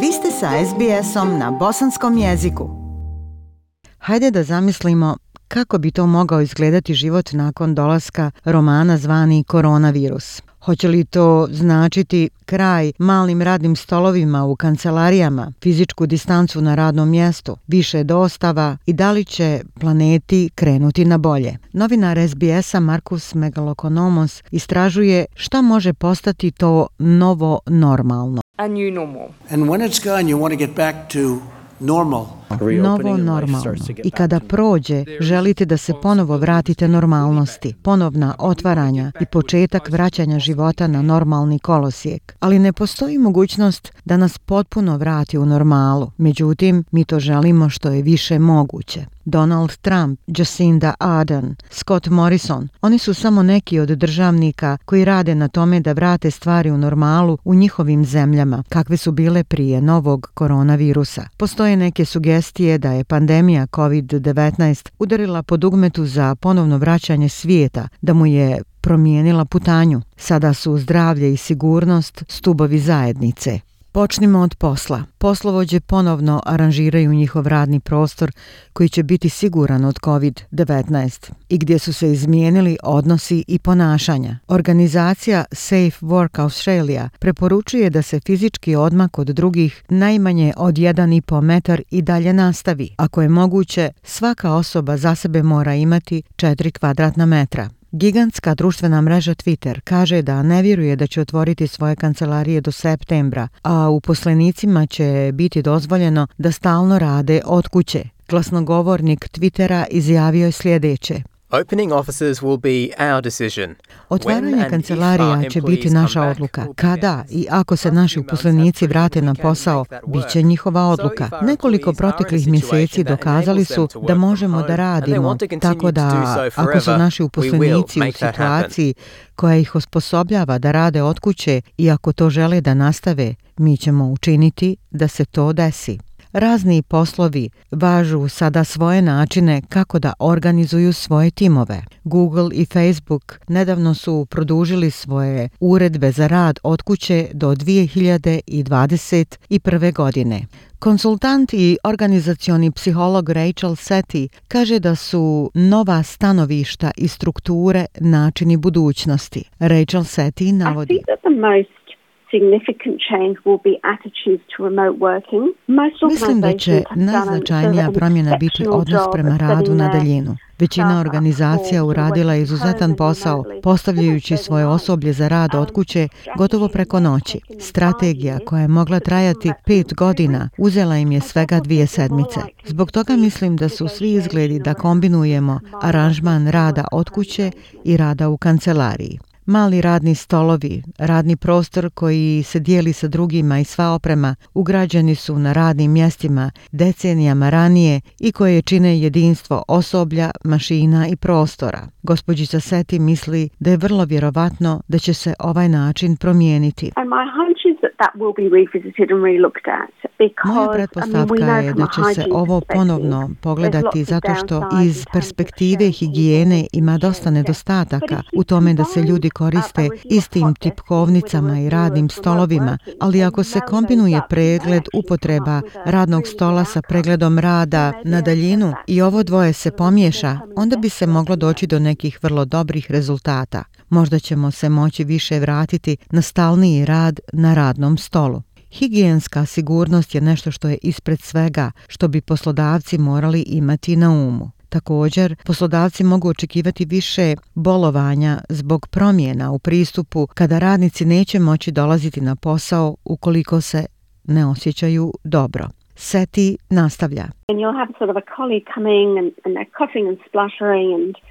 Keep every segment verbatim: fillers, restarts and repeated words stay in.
Vi ste sa es bi esom na bosanskom jeziku. Hajde da zamislimo kako bi to mogao izgledati život nakon dolaska romana zvani koronavirus. Hoće li to značiti kraj malim radnim stolovima u kancelarijama, fizičku distancu na radnom mjestu, više dostava i da li će planeti krenuti na bolje? Novinar es bi esa Markus Megalokonomos istražuje šta može postati to novo normalno. A new normal. And when it's gone, you want to get back to normal. Novo normalno. I kada prođe, želite da se ponovo vratite normalnosti, ponovna otvaranja i početak vraćanja života na normalni kolosijek. Ali ne postoji mogućnost da nas potpuno vrati u normalu. Međutim, mi to želimo što je više moguće. Donald Trump, Jacinda Ardern, Scott Morrison, oni su samo neki od državnika koji rade na tome da vrate stvari u normalu u njihovim zemljama, kakve su bile prije novog koronavirusa. Postoje neke sugestije da je pandemija kovid devetnaest udarila po dugmetu za ponovno vraćanje svijeta, da mu je promijenila putanju. Sada su zdravlje i sigurnost stubovi zajednice. Počnimo od posla. Poslovođe ponovno aranžiraju njihov radni prostor koji će biti siguran od kovid devetnaest i gdje su se izmijenili odnosi i ponašanja. Organizacija Safe Work Australia preporučuje da se fizički odmak od drugih najmanje od jedan i po metar i dalje nastavi. Ako je moguće, svaka osoba za sebe mora imati četiri kvadratna metra. Gigantska društvena mreža Twitter kaže da ne vjeruje da će otvoriti svoje kancelarije do septembra, a uposlenicima će biti dozvoljeno da stalno rade od kuće. Glasnogovornik Twittera izjavio je sljedeće. Opening offices will be our decision. Otvaranje kancelarija će biti naša odluka. Kada i ako se naši uposlenici vrate na posao, bit će njihova odluka. Nekoliko proteklih mjeseci dokazali su da možemo da radimo, tako da ako su naši uposlenici u situaciji koja ih osposobljava da rade od kuće i ako to žele da nastave, mi ćemo učiniti da se to desi. Razni poslovi važu sada svoje načine kako da organizuju svoje timove. Google i Facebook nedavno su produžili svoje uredbe za rad od kuće do dvije hiljade dvadeset prve. godine. Konsultant i organizacioni psiholog Rachel Sethi kaže da su nova stanovišta i strukture načini budućnosti. Rachel Sethi navodi: significant change will be attitudes to remote working. Mislim da će najznačajnija promjena biti odnos prema radu na daljinu. Većina organizacija uradila izuzetan posao postavljajući svoje osoblje za rad od kuće gotovo preko noći. Strategija koja je mogla trajati pet godina uzela im je svega dvije sedmice. Zbog toga mislim da su svi izgledi da kombinujemo aranžman rada od kuće i rada u kancelariji. Mali radni stolovi, radni prostor koji se dijeli sa drugima i sva oprema ugrađeni su na radnim mjestima decenijama ranije i koje čine jedinstvo osoblja, mašina i prostora. Gospođica Sethi misli da je vrlo vjerovatno da će se ovaj način promijeniti. Moja pretpostavka je da će se ovo ponovno pogledati zato što iz perspektive higijene ima dosta nedostataka u tome da se ljudi koriste istim tipkovnicama i radnim stolovima, ali ako se kombinuje pregled upotreba radnog stola sa pregledom rada na daljinu i ovo dvoje se pomiješa, onda bi se moglo doći do nekih vrlo dobrih rezultata. Možda ćemo se moći više vratiti na stalniji rad na radnom stolu. Higijenska sigurnost je nešto što je ispred svega, što bi poslodavci morali imati na umu. Također, poslodavci mogu očekivati više bolovanja zbog promjena u pristupu kada radnici neće moći dolaziti na posao ukoliko se ne osjećaju dobro. Sethi nastavlja.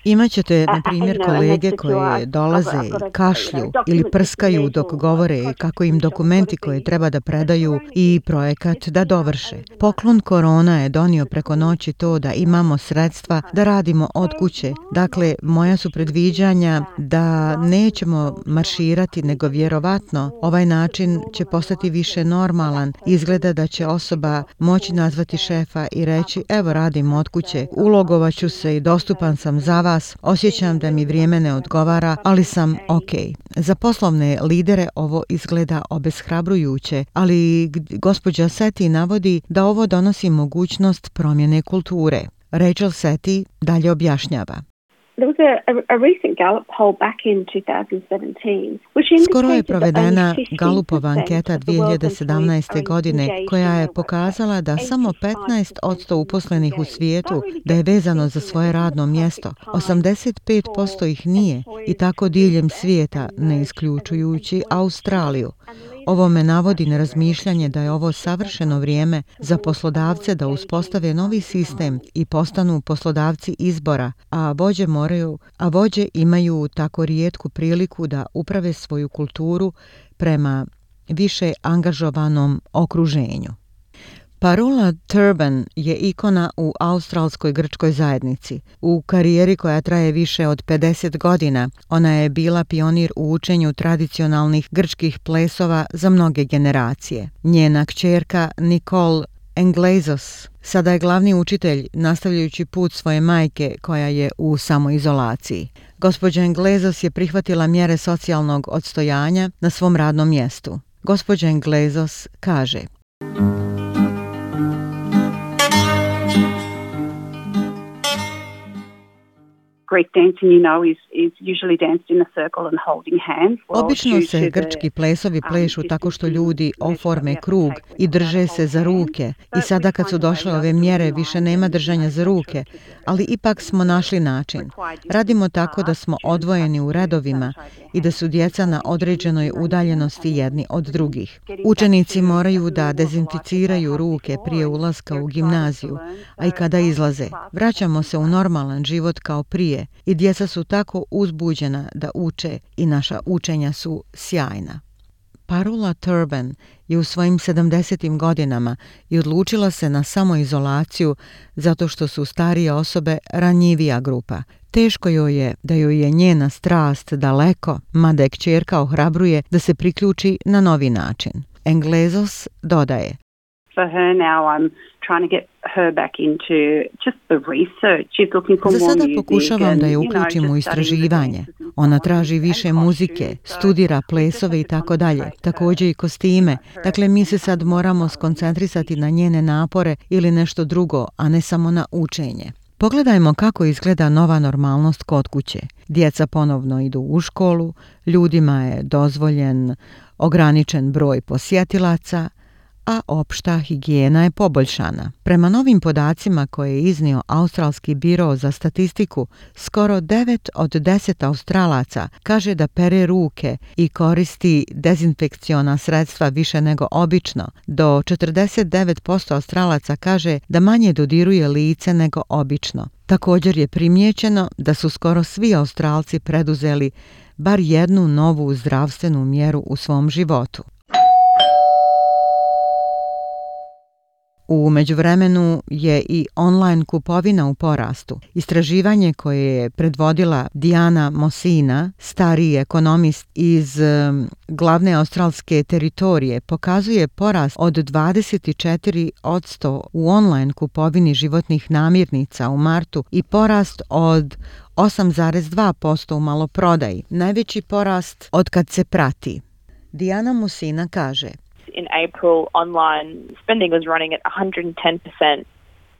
Imaćete, na primjer, kolege koje dolaze i kašlju ili prskaju dok govore kako im dokumenti koje treba da predaju i projekat da dovrše. Poklon korona je donio preko noći to da imamo sredstva da radimo od kuće. Dakle, moja su predviđanja da nećemo marširati, nego vjerovatno ovaj način će postati više normalan. Izgleda da će osoba moći nazvati šefa i reći evo radim od kuće, ulogovaću se i dostupan sam za vas, osjećam da mi vrijeme ne odgovara, ali sam ok. Za poslovne lidere ovo izgleda obeshrabrujuće, ali gospođa Sethi navodi da ovo donosi mogućnost promjene kulture. Rachel Sethi dalje objašnjava. Skoro je provedena Gallupova anketa dvije hiljade sedamnaeste. godine koja je pokazala da samo petnaest posto uposlenih u svijetu da je vezano za svoje radno mjesto, osamdeset pet posto ih nije i tako diljem svijeta, ne isključujući Australiju. Ovo me navodi na razmišljanje da je ovo savršeno vrijeme za poslodavce da uspostave novi sistem i postanu poslodavci izbora, a vođe moraju, a vođe imaju tako rijetku priliku da uprave svoju kulturu prema više angažovanom okruženju. Parula Turban je ikona u australskoj grčkoj zajednici. U karijeri koja traje više od pedeset godina, ona je bila pionir u učenju tradicionalnih grčkih plesova za mnoge generacije. Njena kćerka Nicole Englezos sada je glavni učitelj nastavljajući put svoje majke koja je u samoizolaciji. Gospođa Englezos je prihvatila mjere socijalnog odstojanja na svom radnom mjestu. Gospođa Englezos kaže: Obično se grčki plesovi plešu tako što ljudi oforme krug i drže se za ruke i sada kad su došle ove mjere više nema držanja za ruke, ali ipak smo našli način. Radimo tako da smo odvojeni u redovima i da su djeca na određenoj udaljenosti jedni od drugih. Učenici moraju da dezinficiraju ruke prije ulaska u gimnaziju, a i kada izlaze. Vraćamo se u normalan život kao prije i djeca su tako uzbuđena da uče i naša učenja su sjajna. Parula Turban je u svojim sedamdesetim godinama i odlučila se na samoizolaciju zato što su starije osobe ranjivija grupa. Teško joj je da joj je njena strast daleko, mada je kćerka ohrabruje da se priključi na novi način. Englezos dodaje: For her now I'm trying to get her back into just the research. She's looking for more music. Za sada pokušavam da je uključim u istraživanje. Ona traži više muzike, studira plesove i tako dalje, također i kostime. Dakle, mi se sad moramo skoncentrisati na njene napore ili nešto drugo, a ne samo na učenje. Pogledajmo kako izgleda nova normalnost kod kuće. Djeca ponovno idu u školu, ljudima je dozvoljen ograničen broj posjetilaca, a opšta higijena je poboljšana. Prema novim podacima koje je iznio Australski biro za statistiku, skoro devet od deset Australaca kaže da pere ruke i koristi dezinfekciona sredstva više nego obično, do četrdeset devet posto Australaca kaže da manje dodiruje lice nego obično. Također je primijećeno da su skoro svi Australci preduzeli bar jednu novu zdravstvenu mjeru u svom životu. U međuvremenu je i online kupovina u porastu. Istraživanje koje je predvodila Diana Mosina, stariji ekonomist iz um, glavne australske teritorije, pokazuje porast od dvadeset četiri posto u online kupovini životnih namirnica u martu i porast od osam zarez dva posto u maloprodaji. Najveći porast od kad se prati. Diana Mosina kaže: In April, online spending was running at one hundred ten percent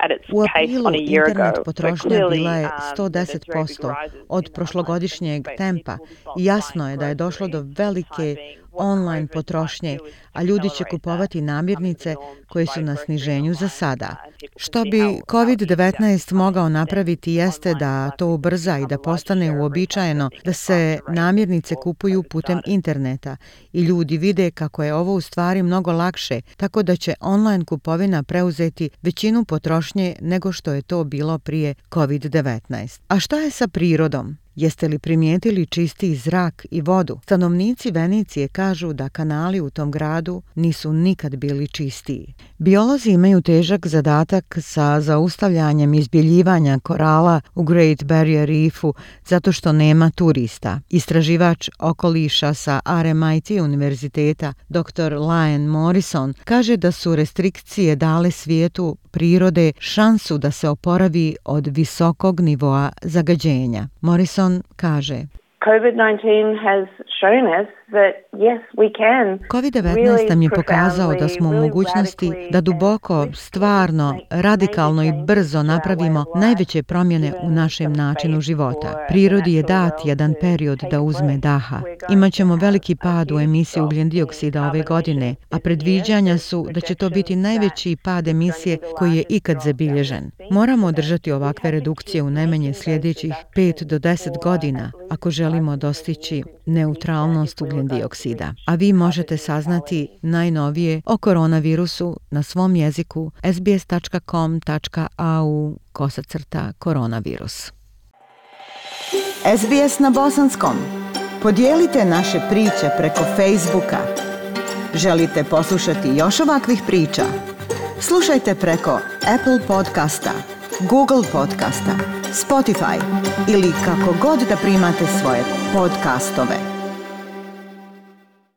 at its U pace aprilu on a year ago. internet So potrošnja clearly, bila je um, sto deset there's very big posto rises od in prošlogodišnjeg online tempa shopping. i jasno je da je došlo do velike online potrošnje, a ljudi će kupovati namirnice koje su na sniženju za sada. Što bi kovid devetnaest mogao napraviti jeste da to ubrza i da postane uobičajeno da se namirnice kupuju putem interneta i ljudi vide kako je ovo u stvari mnogo lakše, tako da će online kupovina preuzeti većinu potrošnje nego što je to bilo prije kovid devetnaest. A šta je sa prirodom? Jeste li primijetili čistiji zrak i vodu? Stanovnici Venicije kažu da kanali u tom gradu nisu nikad bili čistiji. Biolozi imaju težak zadatak sa zaustavljanjem izbjeljivanja korala u Great Barrier Reefu zato što nema turista. Istraživač okoliša sa R M I T univerziteta doktor Lion Morrison kaže da su restrikcije dale svijetu prirode šansu da se oporavi od visokog nivoa zagađenja. Morrison kaže: COVID nineteen has shown us that yes, we can. kovid devetnaest nam je pokazao da smo u mogućnosti da duboko, stvarno, radikalno i brzo napravimo najveće promjene u našem načinu života. Prirodi je dat jedan period da uzme daha. Imaćemo veliki pad u emisiji ugljen dioksida ove godine, a predviđanja su da će to biti najveći pad emisije koji je ikad zabilježen. Moramo održati ovakve redukcije u najmanje sljedećih pet do deset godina ako želimo dostići neutralnost ugljen dioksida. A vi možete saznati najnovije o koronavirusu na svom jeziku s b s dot com dot a u kosacrta koronavirus. S B S na bosanskom. Podijelite naše priče preko Facebooka. Želite poslušati još ovakvih priča? Slušajte preko Apple podcasta, Google podcasta, Spotify ili kako god da primate svoje podcastove.